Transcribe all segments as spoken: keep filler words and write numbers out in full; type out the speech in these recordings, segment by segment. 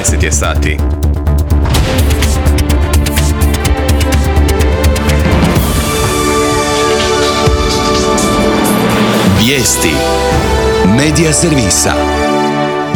deset je sati. Vijesti Medija servisa.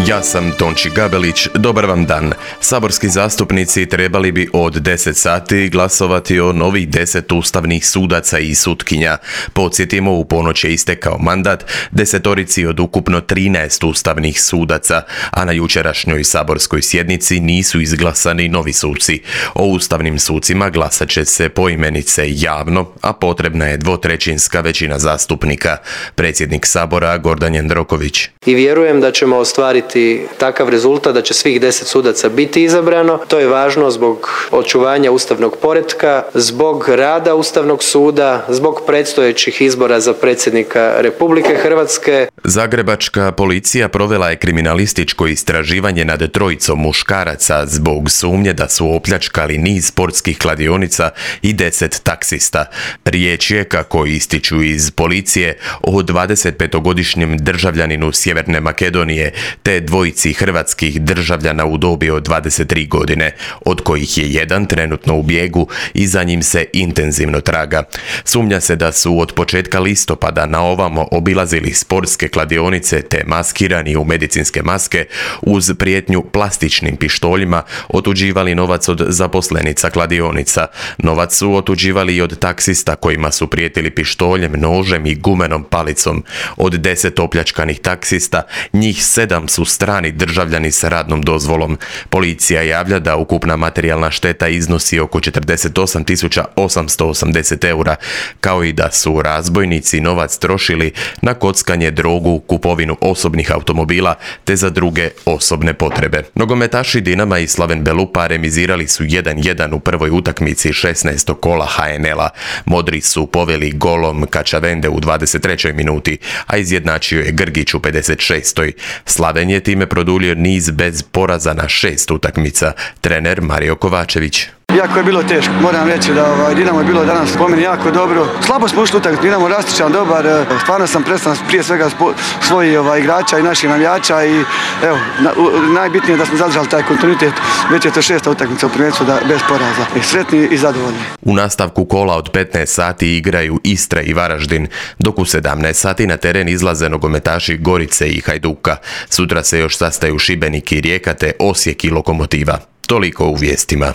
Ja sam Tonči Gabelić, dobar vam dan. Saborski zastupnici trebali bi od deset sati glasovati o novih deset ustavnih sudaca i sutkinja. Podsjetimo, u ponoć je istekao mandat desetorici od ukupno trinaest ustavnih sudaca, a na jučerašnjoj saborskoj sjednici nisu izglasani novi suci. O ustavnim sucima glasat će se poimenice javno, a potrebna je dvotrećinska većina zastupnika. Predsjednik Sabora Gordan Jandroković. I vjerujem da ćemo ostvariti takav rezultat da će svih deset sudaca biti izabrano. To je važno zbog očuvanja ustavnog poretka, zbog rada Ustavnog suda, zbog predstojećih izbora za predsjednika Republike Hrvatske. Zagrebačka policija provela je kriminalističko istraživanje nad trojicom muškaraca zbog sumnje da su opljačkali niz sportskih kladionica i deset taksista. Riječ je, kako ističu iz policije, o dvadesetpetogodišnjem državljaninu Sjeverne Makedonije te dvojici hrvatskih državljana u dobi od dvadeset tri godine, od kojih je jedan trenutno u bijegu i za njim se intenzivno traga. Sumnja se da su od početka listopada na ovamo obilazili sportske kladionice te maskirani u medicinske maske uz prijetnju plastičnim pištoljima otuđivali novac od zaposlenica kladionica. Novac su otuđivali i od taksista kojima su prijetili pištoljem, nožem i gumenom palicom. Od deset opljačkanih taksista, njih sedam su strani državljani sa radnom dozvolom. Policija javlja da ukupna materijalna šteta iznosi oko četrdeset osam tisuća osamsto osamdeset eura, kao i da su razbojnici novac trošili na kockanje, drogu, kupovinu osobnih automobila te za druge osobne potrebe. Nogometaši Dinama i Slaven Belupa remizirali su jedan jedan u prvoj utakmici šesnaestog kola ha en el-a. Modri su poveli golom Kačavende u dvadeset trećoj minuti, a izjednačio je Grgić u pedeset šestoj Slaven je time produljio niz bez poraza na šest utakmica. Trener Mario Kovačević. Jako je bilo teško. Moram reći da ovaj, Dinamo je bilo danas po meni jako dobro. Slabo smo ušli utakmicu, Dinamo rastičan, dobar. Stvarno sam prestan prije svega svojih ovaj, igrača i naših navijača i evo, na, u, najbitnije je da smo zadržali taj kontinuitet. Već je to šesta utakmica u prvenstvu da bez poraza. I sretni i zadovoljni. U nastavku kola od petnaest sati igraju Istra i Varaždin, dok u sedamnaest sati na teren izlaze nogometaši Gorice i Hajduka. Sutra se još sastaju Šibenik i Rijeka te Osijek i Lokomotiva. Toliko u vijestima.